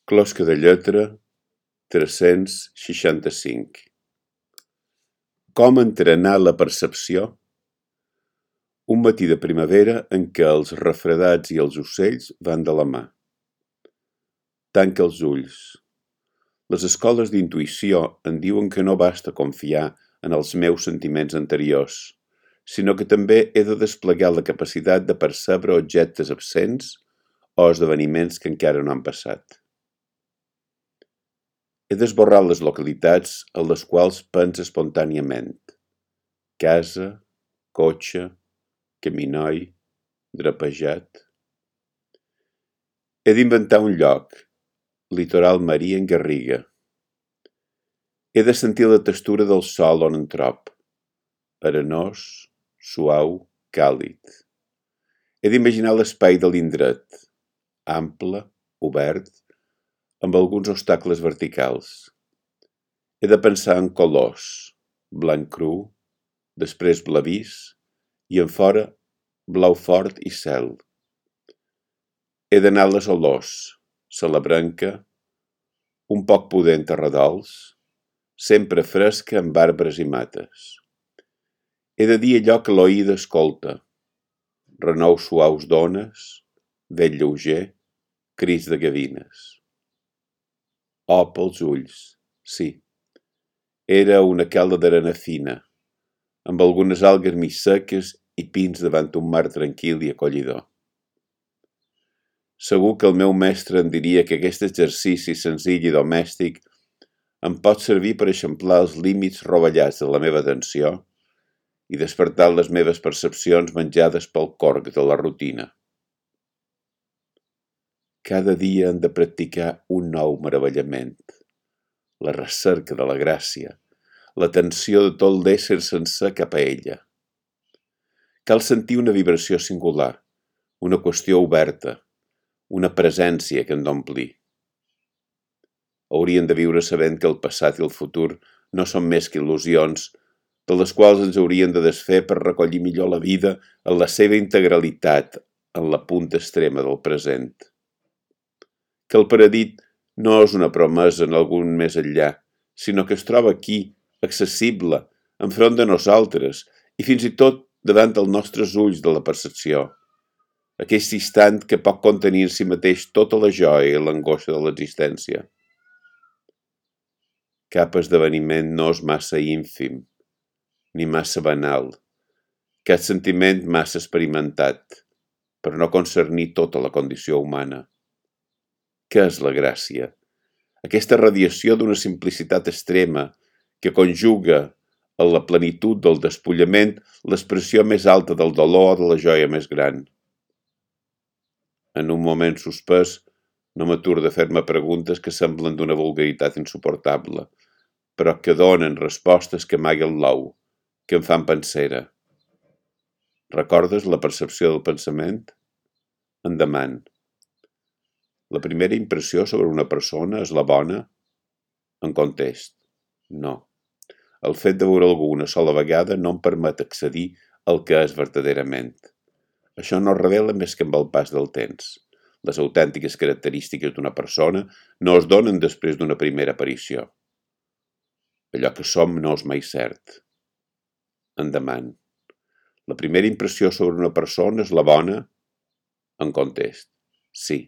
Closca de lletra 365. Com entrenar la percepció? Un matí de primavera en què els refredats i els ocells van de la mà. Tanca els ulls. Les escoles d'intuïció en diuen que no basta confiar en els meus sentiments anteriors, sinó que també he de desplegar la capacitat de percebre objectes absents o esdeveniments que encara no han passat. He d'esborrar les localitats en les quals penso espontàniament. Casa, cotxe, caminoi, drapejat. He d'inventar un lloc, litoral marí en Garriga. He de sentir la textura del sòl on em trob, arenós, suau, càlid. He d'imaginar l'espai de l'indret, ample, obert, amb alguns obstacles verticals. He de pensar en colors, blanc cru, després blavís i en fora blau fort i cel. He d'anar a les olors, salabrenca, un poc pudent a redols, sempre fresca amb arbres i mates. He de dir allò que l'oïda escolta, renous suaus d'ones, vent lleuger, crits de gavines. Oh, pels ulls, sí. Era una cala d'arena fina, amb algunes algues mig seques i pins davant un mar tranquil i acollidor. Segur que el meu mestre em diria que aquest exercici senzill i domèstic em pot servir per eixamplar els límits rovellats de la meva atenció i despertar les meves percepcions menjades pel corc de la rutina. Cada dia hem de practicar un nou meravellament, la recerca de la gràcia, l'atenció de tot l'ésser sencer cap a ella. Cal sentir una vibració singular, una qüestió oberta, una presència que en d'omplir. Hauríem de viure sabent que el passat i el futur no són més que il·lusions, de les quals ens hauríem de desfer per recollir millor la vida en la seva integralitat, en la punta extrema del present. Que el paradís no és una promesa en algun més enllà, sinó que es troba aquí, accessible, enfront de nosaltres i fins i tot davant dels nostres ulls de la percepció. Aquest instant que pot contenir en si mateix tota la joia i l'angoixa de l'existència. Cap esdeveniment no és massa ínfim, ni massa banal, cap sentiment massa experimentat, per no concernir tota la condició humana. Què és la gràcia? Aquesta radiació d'una simplicitat extrema que conjuga en la plenitud del despullament l'expressió més alta del dolor o de la joia més gran. En un moment suspès, no m'aturo de fer-me preguntes que semblen d'una vulgaritat insuportable, però que donen respostes que amaguen l'ou, que em fan pensera. Recordes la percepció del pensament? Endavant. La primera impressió sobre una persona és la bona? En contest, no. El fet de veure algú una sola vegada no em permet accedir al que és verdaderament. Això no revela més que amb el pas del temps. Les autèntiques característiques d'una persona no es donen després d'una primera aparició. Allò que som no és mai cert. Endavant. La primera impressió sobre una persona és la bona? En contest, sí.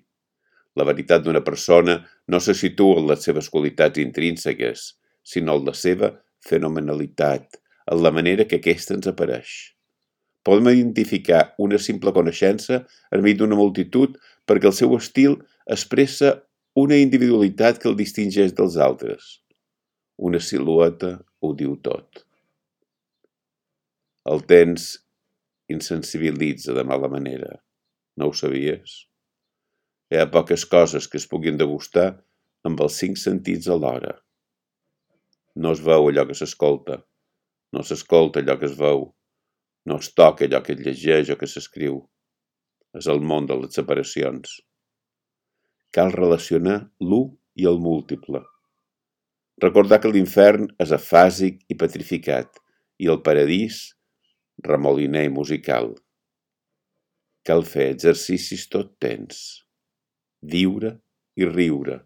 La veritat d'una persona no se situa en les seves qualitats intrínseques, sinó en la seva fenomenalitat, en la manera que aquesta ens apareix. Podem identificar una simple coneixença enmig d'una multitud perquè el seu estil expressa una individualitat que el distingeix dels altres. Una silueta ho diu tot. El temps insensibilitza de mala manera. No ho sabies? Hi ha poques coses que es puguin degustar amb els 5 sentits alhora. No es veu allò que s'escolta, no s'escolta allò que es veu, no es toca allò que es llegeix o que s'escriu. És el món de les separacions. Cal relacionar l'u i el múltiple. Recordar que l'infern és afàsic i petrificat i el paradís remoliner i musical. Cal fer exercicis tot temps. Viure i riure,